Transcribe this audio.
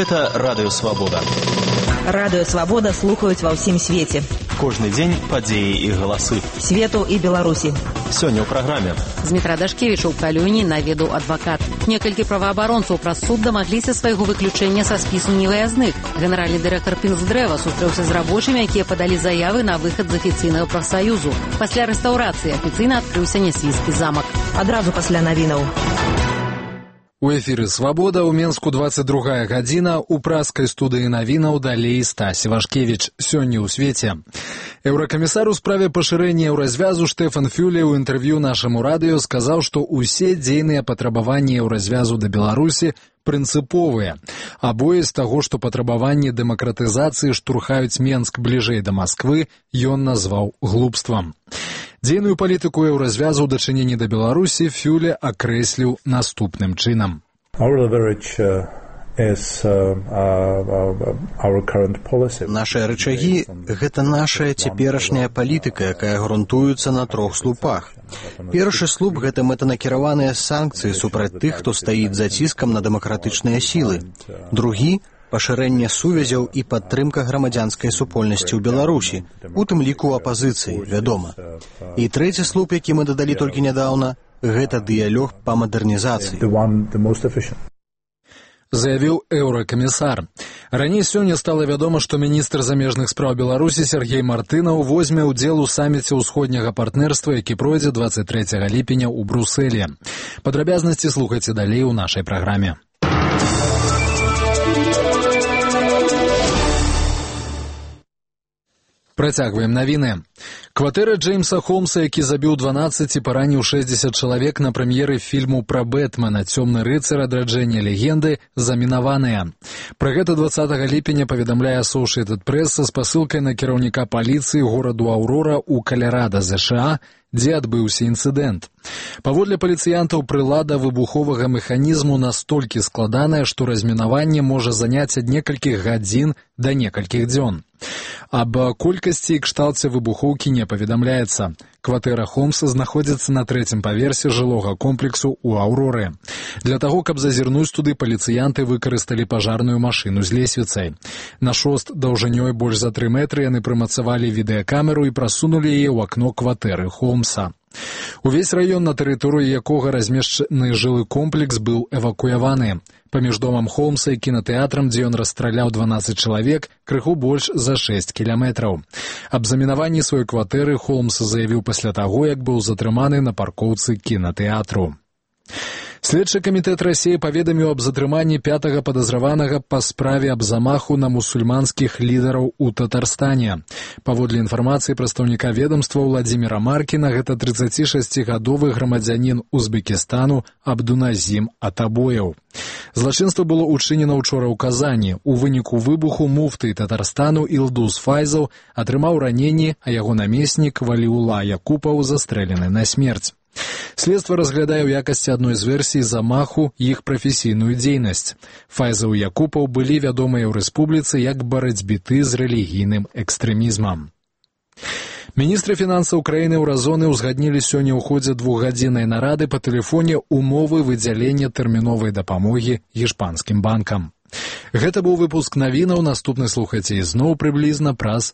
Гэта Радыё Свабода. Радыё Свабода слухаюць ва ўсім свеце. Кожны дзень падзеі і галасы. Свету і Беларусі. Сёння ў праграме. Змітра Дашкевіча ў Калюні наведаў адвакат. Некалькі праваабаронцаў праз суд дамагліся свайго выключэння са спісу невыязных. Генеральны дырэктар Пінсдрэва сустрэўся з рабочымі, якія падалі заявы на выхад з афіцыйнага прафсаюзу. Пасля рэстаўрацыі афіцыйна адкрыўся Нясвійскі замак. Адразу пасля навінаў. У эфіры «Свабода», у Менску 22 гадзіна, у праскай студыі навінаў далей Стась Івашкевіч. Сёння ў свеце. Еўракамісар у справе пашырэння еўразвязу Штефан Фюле ў інтэрв'ю нашаму радыё сказаў, што ўсе дзейныя патрабаванні еўразвязу да Беларусі прынцыповыя. Абое з таго, што патрабаванні дэмакратызацыі штурхаюць Менск бліжэй да Масквы, ён назваў глупствам. Дзейную палітыку еўразвязу ў дачыненні да Беларусі Фюле акрэсліў наступным чынам. Нашыя рычагі – гэта нашая цяперашняя палітыка, якая грунтуецца на 3 слупах. Першы слуп – гэта мэтанакіраваныя санкцыі супраць тых, хто стаіць за ціскам на дэмакратычныя сілы. Другі – пашырэнне сувязяў і падтрымка грамадзянскай супольнасці ў Беларусі, у тым ліку апазіцыі, вядома. І трэці слуп, які мы дадалі толькі нядаўна, гэта дыялог па мадэрнізацыі. Заявіў еўракамісар. Раней сёння стала вядома, што міністр замежных спраў Беларусі Сергей Мартынаў возьме ўдзел у саміце ўсходняга партнерства, які пройдзе 23 ліпеня ў Брусэлі. Падрабязнасці слухайце далей у нашай праграме. Працягваем навіны. Кватэра Джеймса Холмса, які забіў 12 і параніў 60 чалавек на прэм'еры фільму пра Бэтмена «Цёмны рыцар. Адраджэнне легенды» замінаваная. Пра гэта 20 ліпеня паведамляе Associated Press са спасылкай на кіраўніка паліцыі гораду Аўрора ў Каларада, ЗША, дзе адбыўся інцыдэнт. Паводле паліцыянтаў, прылада выбуховага механізму настолькі складаная, што размінаванне можа заняць ад некалькіх гадзін да некалькіх дзён. Аб колькасці і кшталце выбухоўкі не паведамляецца. Кватэра Холмса знаходзіцца на 3-м паверсе жылога комплексу ў Аўроры. Для таго, каб зазірнуць туды, паліцыянты выкарысталі пажарную машыну з лесвіцай. На шост даўжынёй больш за 3 метры яны прымацавалі відэакамеру і прасунулі яе ў акно кватэры Холмса. Увесь раён, на тэрыторыі якога размешчаны жылы комплекс, быў эвакуяваны. Паміж домам Холмса і кінатэатрам, дзе ён расстраляў 12 чалавек, крыху больш за 6 кіламетраў. Аб замінаванні сваёй кватэры Холмс заявіў пасля таго, як быў затрыманы на паркоўцы кінатэатру. Следчы камітэт Расіі паведаміў аб затрыманні 5-га падазраванага па справе аб замаху на мусульманскіх лідараў у Татарстане. Паводле інфармацыі прадстаўніка ведамства Владзіміра Маркіна, гэта 36-гадовы грамадзянін Узбекістану Абдуназім Атабоеў. Злачынства было ўчынена ўчора ў Казані. У выніку выбуху муфты Татарстану Ілдус Файзаў атрымаў раненні, а яго намеснік Валіула Якупаў застрэлены на смерць. Следства разглядае ў якасці адной з версій замаху іх прафесійную дзейнасць. Файзаў і Якупаў былі вядомыя ў рэспубліцы як барацьбіты з рэлігійным экстрэмізмам. Міністры фінансаў краіны еўразоны ўзгаднілі сёння ў ходзе 2-гадзіннай нарады па тэлефоне умовы выдзялення тэрміновай дапамогі гішпанскім банкам. Гэта быў выпуск навінаў, наступны слухайце ізноў прыблізна праз